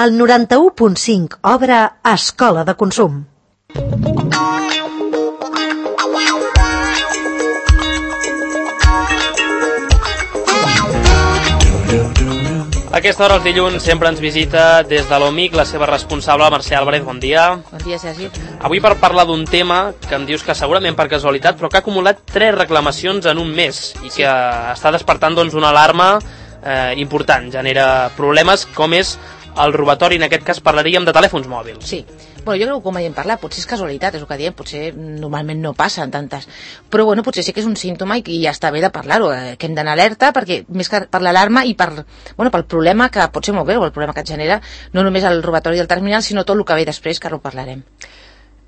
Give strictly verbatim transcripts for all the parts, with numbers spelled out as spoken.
El noranta-u punt cinc obre Escola de Consum. A aquesta hora, els dilluns, sempre ens visita des de l'O M I C la seva responsable, la Mercè Álvarez. Bon dia. Bon dia, Sergi. Avui per parlar d'un tema que em dius que segurament per casualitat, però que ha acumulat tres reclamacions en un mes i que està despertant doncs, una alarma eh, important. Genera problemes com és el robatori. En aquest cas parlaríem de telèfons mòbils. Sí. Bueno, jo crec que com hem parlat, potser és casualitat, és el que diem, potser normalment no passen tantes, però bueno, potser sí que és un símptoma i ja està bé de parlar-ho, eh, que hem d'anar alerta, perquè més que per l'alarma i per, bueno, pel problema que pot ser molt greu, el problema que et genera no només el robatori del terminal, sinó tot el que ve després, que ara ho parlarem.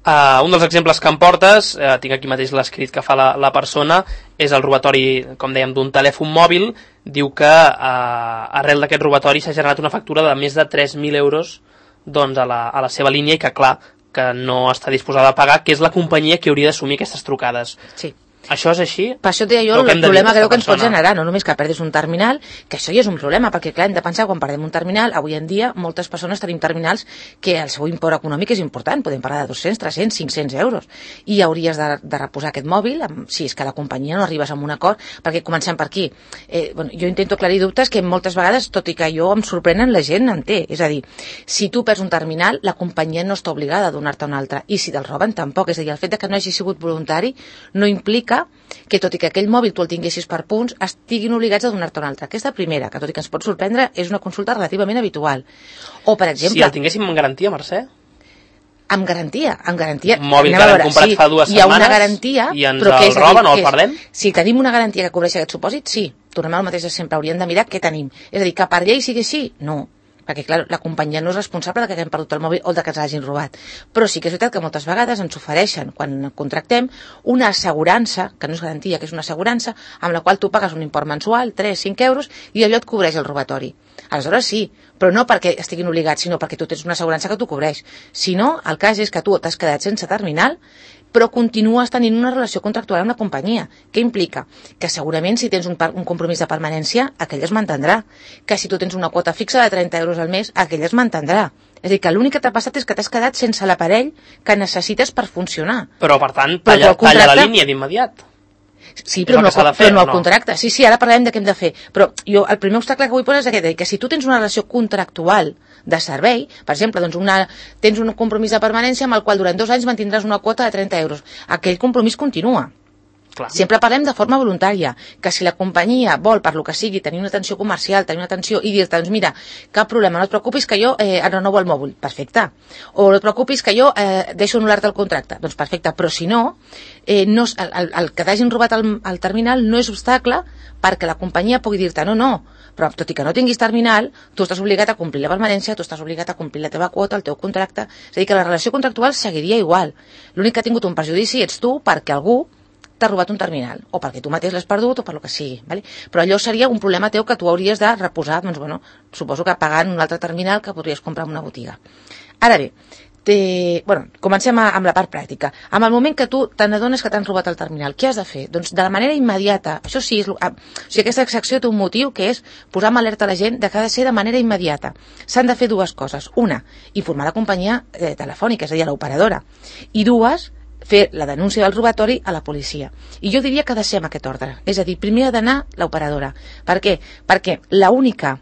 Uh, un dels exemples que em portes, uh, tinc aquí mateix l'escrit que fa la, la persona, és el robatori, com dèiem, d'un telèfon mòbil. Diu que uh, arrel d'aquest robatori s'ha generat una factura de més de tres mil euros doncs a la, a la seva línia i que, clar, que no està disposada a pagar, que és la companyia que hauria d'assumir aquestes trucades. Sí. Això és així? Per això et deia jo, el problema greu que ens pot generar, no només que perdis un terminal, que això ja és un problema, perquè clar, hem de pensar quan perdem un terminal, avui en dia moltes persones tenim terminals que el seu import econòmic és important, podem parlar de dos-cents, tres-cents, cinc-cents euros, i hauries de, de reposar aquest mòbil, si és que la companyia no arribes a un acord, perquè comencem per aquí. Eh, bueno, jo intento aclarir dubtes que moltes vegades, tot i que jo em sorprenen, la gent en té, és a dir, si tu perds un terminal, la companyia no està obligada a donar-te un altre, i si te'l roben tampoc, és a dir, el fet de que no hagi sigut voluntari no implica que tot i que aquell mòbil tu el tinguessis per punts, estiguin obligats a donar-te un altre. Aquesta primera, que tot i que ens pot sorprendre, és una consulta relativament habitual. O, per exemple... Si el tinguéssim en garantia, Mercè? Amb garantia, amb garantia. Un mòbil que l'hem comprat sí, fa dues setmanes hi ha una garantia, i ens però el roben o el perdem? Si tenim una garantia que cobreix aquest supòsit, sí. Tornem al mateix de sempre, hauríem de mirar què tenim. És a dir, que per llei sigui així? No. Perquè, clar, la companyia no és responsable de que haguem perdut el mòbil o de que ens l'hagin robat. Però sí que és veritat que moltes vegades ens ofereixen, quan contractem, una assegurança, que no és garantia, que és una assegurança, amb la qual tu pagues un import mensual, tres cinc euros, i allò et cobreix el robatori. Aleshores sí, però no perquè estiguin obligats, sinó perquè tu tens una assegurança que t'ho cobreix. Si no, el cas és que tu t'has quedat sense terminal, però continues tenint una relació contractual amb la companyia. Què implica? Que segurament si tens un, un compromís de permanència, aquell es mantindrà. Que si tu tens una quota fixa de trenta euros al mes, aquell es mantindrà. És a dir, que l'únic que t'ha passat és que t'has quedat sense l'aparell que necessites per funcionar. Però, per tant, talla, però talla la línia d'immediat. Sí, però no, fer, però no el no? contracte. Sí, sí, ara parlarem de què hem de fer. Però jo, el primer obstacle que vull posar és aquest, que si tu tens una relació contractual de servei, per exemple, doncs una, tens un compromís de permanència amb el qual durant dos anys mantindràs una quota de trenta euros. Aquell compromís continua. Clar. Sempre parlem de forma voluntària, que si la companyia vol, per lo que sigui, tenir una atenció comercial, tenir una atenció i dir-te, doncs mira, cap problema, no et preocupis que jo eh, renovo el mòbil, perfecte. O no et preocupis que jo eh, deixo anul·lar-te el contracte, doncs perfecte. Però si no, eh, no el, el, el que t'hagin robat el, el terminal no és obstacle perquè la companyia pugui dir-te no, no, però tot i que no tinguis terminal, tu estàs obligat a complir la permanència, tu estàs obligat a complir la teva quota, el teu contracte, és a dir, que la relació contractual seguiria igual. L'únic que ha tingut un perjudici ets tu perquè algú t'ha robat un terminal, o perquè tu mateix l'has perdut o per lo que sigui, ¿vale? Però allò seria un problema teu que tu hauries de reposar, doncs bueno, suposo que pagant un altre terminal que podries comprar en una botiga. Ara bé, te... bueno, comencem a, amb la part pràctica. En el moment que tu te n'adones que t'han robat el terminal, què has de fer? Doncs de la manera immediata, això sí, és, o sigui, aquesta secció té un motiu que és posar en alerta a la gent de que ha de ser de manera immediata. S'han de fer dues coses. Una, informar la companyia eh, telefònica, és a dir, a l'operadora. I dues, fer la denúncia del robatori a la policia. I jo diria que ha de ser amb aquest ordre. És a dir, primer ha d'anar l'operadora. Per què? Perquè l'única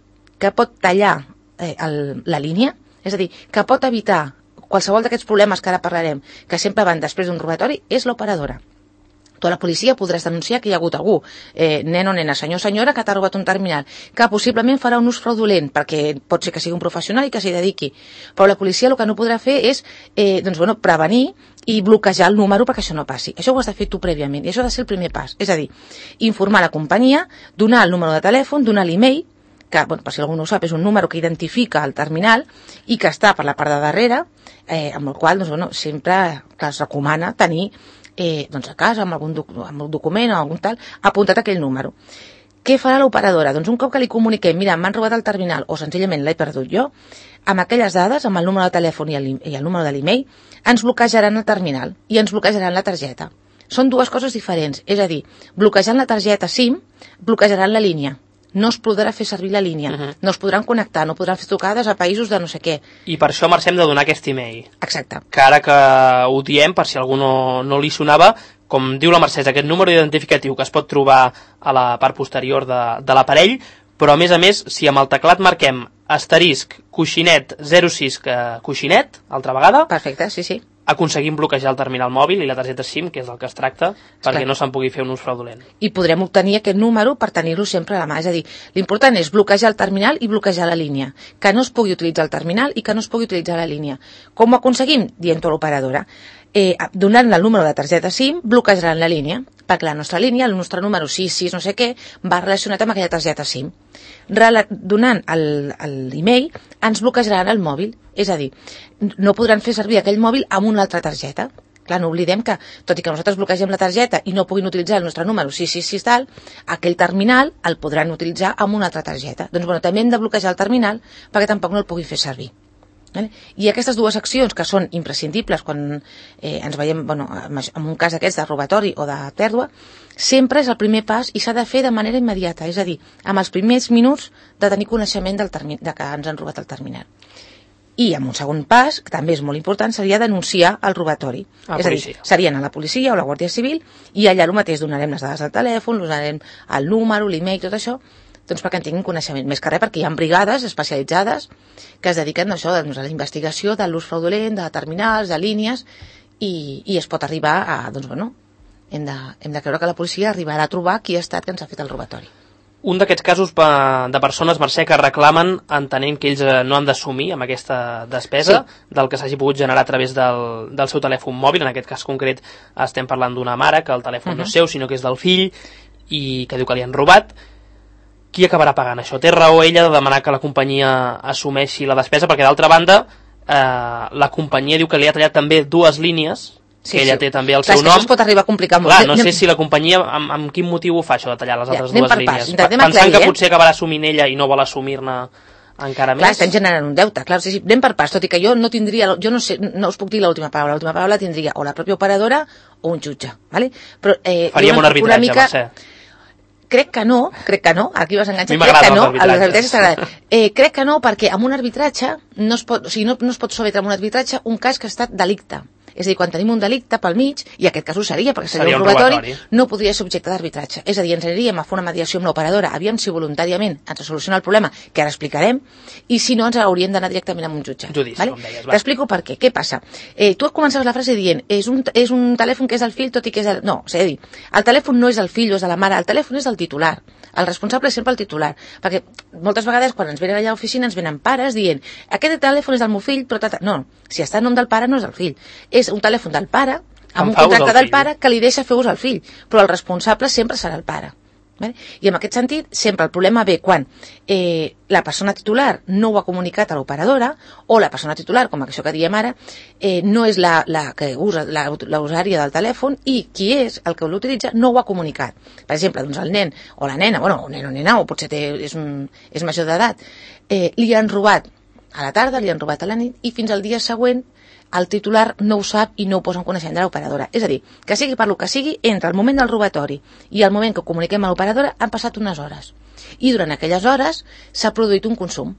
que pot tallar eh, el, la línia, és a dir, que pot evitar qualsevol d'aquests problemes que ara parlarem, que sempre van després d'un robatori, és l'operadora. Tu a la policia podràs denunciar que hi ha hagut algú, eh, nen o nena, senyor o senyora, que t'ha robat un terminal, que possiblement farà un ús fraudulent, perquè pot ser que sigui un professional i que s'hi dediqui. Però la policia el que no podrà fer és eh, doncs, bueno, prevenir i bloquejar el número perquè això no passi. Això ho has de fer tu prèviament, i això ha de ser el primer pas. És a dir, informar la companyia, donar el número de telèfon, donar l'email, que, bueno, per si algú no ho sap, és un número que identifica el terminal i que està per la part de darrere, eh, amb el qual doncs, bueno, sempre que es recomana tenir eh, doncs a casa, amb algun, doc amb un document o algun tal, apuntat aquell número. Què farà l'operadora? Doncs un cop que li comuniquem, mira, m'han robat el terminal, o senzillament l'he perdut jo, amb aquelles dades, amb el número de telèfon i el, i el número de l'email, ens bloquejaran el terminal i ens bloquejaran la targeta. Són dues coses diferents, és a dir, bloquejant la targeta SIM, bloquejaran la línia. no es podrà fer servir la línia, uh-huh. no es podran connectar, no podran fer trucades a països de no sé què. I per això, Mercè, hem de donar aquest email. Exacte. Que ara que ho diem, per si algú no, no li sonava, com diu la Mercè, aquest número identificatiu que es pot trobar a la part posterior de, de l'aparell, però a més a més, si amb el teclat marquem asterisc, coixinet, zero sis, coixinet, altra vegada... Perfecte, sí, sí. Aconseguim bloquejar el terminal mòbil i la targeta SIM, que és del que es tracta, perquè no se'n pugui fer un ús fraudulent. I podrem obtenir aquest número per tenir-lo sempre a la mà. És a dir, l'important és bloquejar el terminal i bloquejar la línia. Que no es pugui utilitzar el terminal i que no es pugui utilitzar la línia. Com ho aconseguim? Dient-ho a l'operadora. Eh, donant-li el número de targeta SIM, bloquejaran la línia, perquè la nostra línia, el nostre número sis sis no sé què, va relacionat amb aquella targeta SIM. Rela donant l'email, ens bloquejaran el mòbil. És a dir, no podran fer servir aquell mòbil amb una altra targeta. Clar, no oblidem que, tot i que nosaltres bloquegem la targeta i no puguin utilitzar el nostre número sis sis sis tal, aquell terminal el podran utilitzar amb una altra targeta. Doncs bueno, també hem de bloquejar el terminal perquè tampoc no el pugui fer servir. I aquestes dues accions que són imprescindibles quan eh, ens veiem, bueno, en un cas d'aquests de robatori o de pèrdua, sempre és el primer pas i s'ha de fer de manera immediata, és a dir, amb els primers minuts de tenir coneixement del termi- de que ens han robat el terminal. I amb un segon pas, que també és molt important, seria denunciar el robatori. A és a dir, serien a la policia o a la Guàrdia Civil i allà el mateix donarem les dades del telèfon, donarem el número, l'email, tot això, doncs perquè en tinguin coneixement. Més que res perquè hi ha brigades especialitzades que es dediquen a això, doncs, a la investigació de l'ús fraudulent, de terminals, de línies, i, i es pot arribar a, doncs bueno, hem de, hem de creure que la policia arribarà a trobar qui ha estat que ens ha fet el robatori. Un d'aquests casos de persones, Mercè, que reclamen entenent que ells no han d'assumir amb aquesta despesa sí. del que s'hagi pogut generar a través del, del seu telèfon mòbil. En aquest cas concret estem parlant d'una mare que el telèfon uh-huh. no és seu, sinó que és del fill i que diu que li han robat. Qui acabarà pagant això? Té raó ella de demanar que la companyia assumeixi la despesa, perquè d'altra banda eh, la companyia diu que li ha tallat també dues línies, sí, que ella sí. té també el Clar, seu nom. Això es pot arribar a complicar molt. Clar, no sé si la companyia, amb, amb quin motiu ho fa això de tallar les altres ja, dues per línies. Pas, Pensant aclarir, que eh? potser acabarà assumint ella i no vol assumir-ne encara Clar, més. estem generant un deute. Clar, sí, sí, anem per pas, tot i que jo no tindria, jo no sé, no us puc dir l'última paraula. L'última paraula tindria o la pròpia operadora o un jutge, ¿vale? Però, eh, faríem un arbitratge, una mica... Mercè. Crec que no, crec que no, aquí vas enganxar, crec que no, els arbitratges t'agraden. Eh, crec que no, perquè amb un arbitratge no es pot, o sigui, no, no es pot sometre amb un arbitratge un cas que ha estat delicte. És a dir, quan tenim un delicte pel mig, i aquest cas ho seria, perquè seria, seria un robatori, robatori, no podria ser objecte d'arbitratge. És a dir, ens aniríem a fer una mediació amb l'operadora, aviam si voluntàriament ens soluciona el problema, que ara explicarem, i si no ens hauríem d'anar directament amb un jutge. Judici, vale? com deies, va. T'explico per què. Què passa? Eh, tu començaves la frase dient, és un, és un telèfon que és del fill, tot i que és el... No, és a dir, el telèfon no és del fill o és de la mare, el telèfon és del titular. El responsable és sempre el titular, perquè moltes vegades quan ens venen allà a l'oficina ens venen pares dient aquest telèfon és del meu fill, però tata... no, si està en nom del pare no és del fill, és un telèfon del pare, amb un contracte del pare que li deixa fer ús al fill, però el responsable sempre serà el pare. Vale? I en aquest sentit, sempre el problema ve quan eh, la persona titular no ho ha comunicat a l'operadora, o la persona titular, com això que diem ara, eh, no és la, la que usa la, la usària del telèfon, i qui és el que l'utilitza no ho ha comunicat. Per exemple, doncs el nen o la nena, bueno, un nen o nena, o potser té, és, un, és major d'edat, eh, li han robat a la tarda, li han robat a la nit, i fins al dia següent el titular no ho sap i no ho posa en coneixement de l'operadora. És a dir, que sigui per lo que sigui, entre el moment del robatori i el moment que comuniquem a l'operadora han passat unes hores. I durant aquelles hores s'ha produït un consum,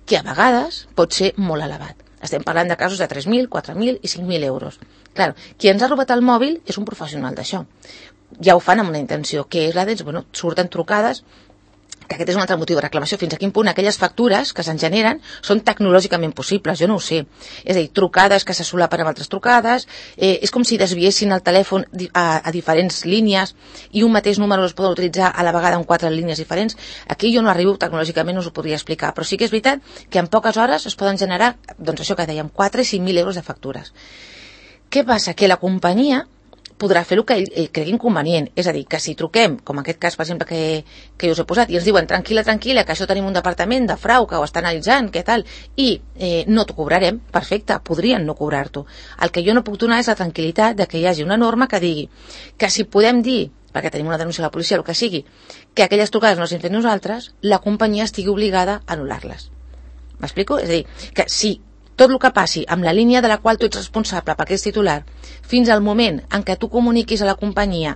que a vegades pot ser molt elevat. Estem parlant de casos de tres mil, quatre mil i cinc mil euros. Clar, qui ens ha robat el mòbil és un professional d'això. Ja ho fan amb una intenció, que és la de, bueno, surten trucades, que aquest és un altre motiu de reclamació, fins a quin punt aquelles factures que se'n generen són tecnològicament possibles, jo no ho sé. És a dir, trucades que se solapen amb altres trucades, eh, és com si desviessin el telèfon a, a diferents línies i un mateix número es poden utilitzar a la vegada en quatre línies diferents. Aquí jo no arribo, tecnològicament no us ho podria explicar, però sí que és veritat que en poques hores es poden generar, doncs això que dèiem, quatre i cinc mil euros de factures. Què passa? Que la companyia podrà fer el que ell, ell cregui inconvenient. És a dir, que si truquem, com aquest cas, per exemple, que, que jo us he posat, i ens diuen, tranquil·la, tranquil·la, que això tenim un departament de frau que ho està analitzant, què tal, i eh, no t'ho cobrarem, perfecte, podrien no cobrar-t'ho. El que jo no puc donar és la tranquil·litat de que hi hagi una norma que digui que si podem dir, perquè tenim una denúncia a la policia, el que sigui, que aquelles trucades no s'han fet nosaltres, la companyia estigui obligada a anul·lar-les. M'explico? És a dir, que si tot el que passi amb la línia de la qual tu ets responsable perquè ets titular, fins al moment en què tu comuniquis a la companyia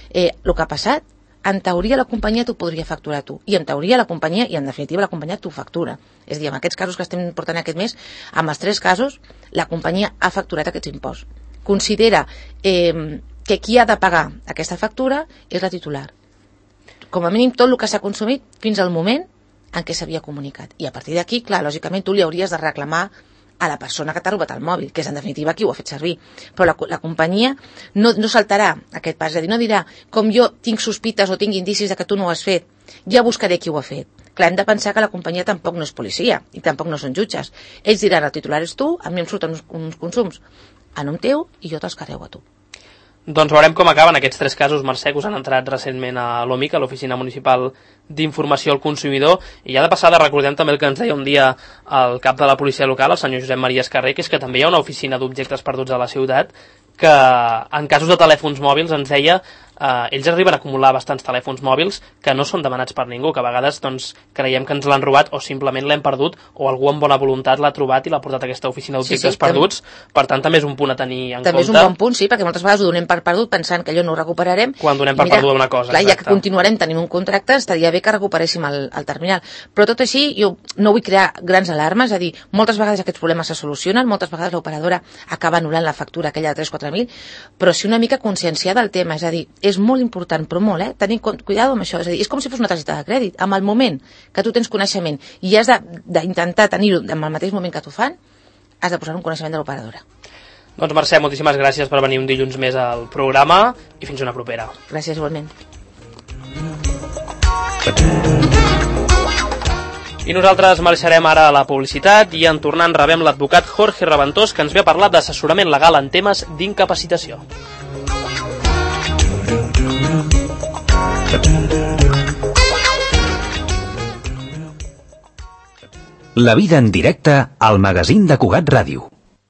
eh, el que ha passat, en teoria la companyia t'ho podria facturar tu, i en teoria la companyia, i en definitiva la companyia t'ho factura. És a dir, en aquests casos que estem portant aquest mes, amb els tres casos, la companyia ha facturat aquests imposts. Considera eh, que qui ha de pagar aquesta factura és la titular. Com a mínim tot el que s'ha consumit fins al moment en què s'havia comunicat. I a partir d'aquí, clar, lògicament tu li hauries de reclamar a la persona que t'ha robat el mòbil, que és en definitiva qui ho ha fet servir. Però la, la companyia no, no saltarà aquest pas, és a dir, no dirà, com jo tinc sospites o tinc indicis de que tu no ho has fet, ja buscaré qui ho ha fet. Clar, hem de pensar que la companyia tampoc no és policia i tampoc no són jutges. Ells diran, el titular és tu, a mi em surten uns, uns consums a nom teu i jo te'ls carrego a tu. Doncs veurem com acaben aquests tres casos, Mercè, que us han entrat recentment a l'O M I C, a l'Oficina Municipal d'Informació al Consumidor, i ja de passada recordem també el que ens deia un dia el cap de la policia local, el senyor Josep Maria Escarrer, que és que també hi ha una oficina d'objectes perduts a la ciutat, que en casos de telèfons mòbils ens deia eh, ells arriben a acumular bastants telèfons mòbils que no són demanats per ningú, que a vegades doncs, creiem que ens l'han robat o simplement l'hem perdut o algú amb bona voluntat l'ha trobat i l'ha portat a aquesta oficina d'objectes sí, sí, perduts, també, per tant també és un punt a tenir en també compte. També és un bon punt, sí, perquè moltes vegades ho donem per perdut pensant que allò no ho recuperarem. Quan donem per mira, perduda una cosa. Clar, ja que continuarem tenint un contracte, estaria bé que recuperéssim el, el terminal. Però tot així, jo no vull crear grans alarmes, és a dir, moltes vegades aquests problemes se solucionen, moltes vegades l'operadora acaba anul·lant la factura aquella de tres quatre mil, però sí una mica conscienciar del tema, és a dir, és molt important, però molt, eh? Tenir cuidado amb això, és a dir, és com si fos una targeta de crèdit, amb el moment que tu tens coneixement i has d'intentar tenir-ho en el mateix moment que t'ho fan, has de posar un coneixement de l'operadora. Doncs Mercè, moltíssimes gràcies per venir un dilluns més al programa i fins una propera. Gràcies, igualment. I nosaltres marxarem ara a la publicitat i en tornant rebem l'advocat Jorge Raventós, que ens ve a parlar d'assessorament legal en temes d'incapacitació. La vida en directe al magazín de Cugat Ràdio.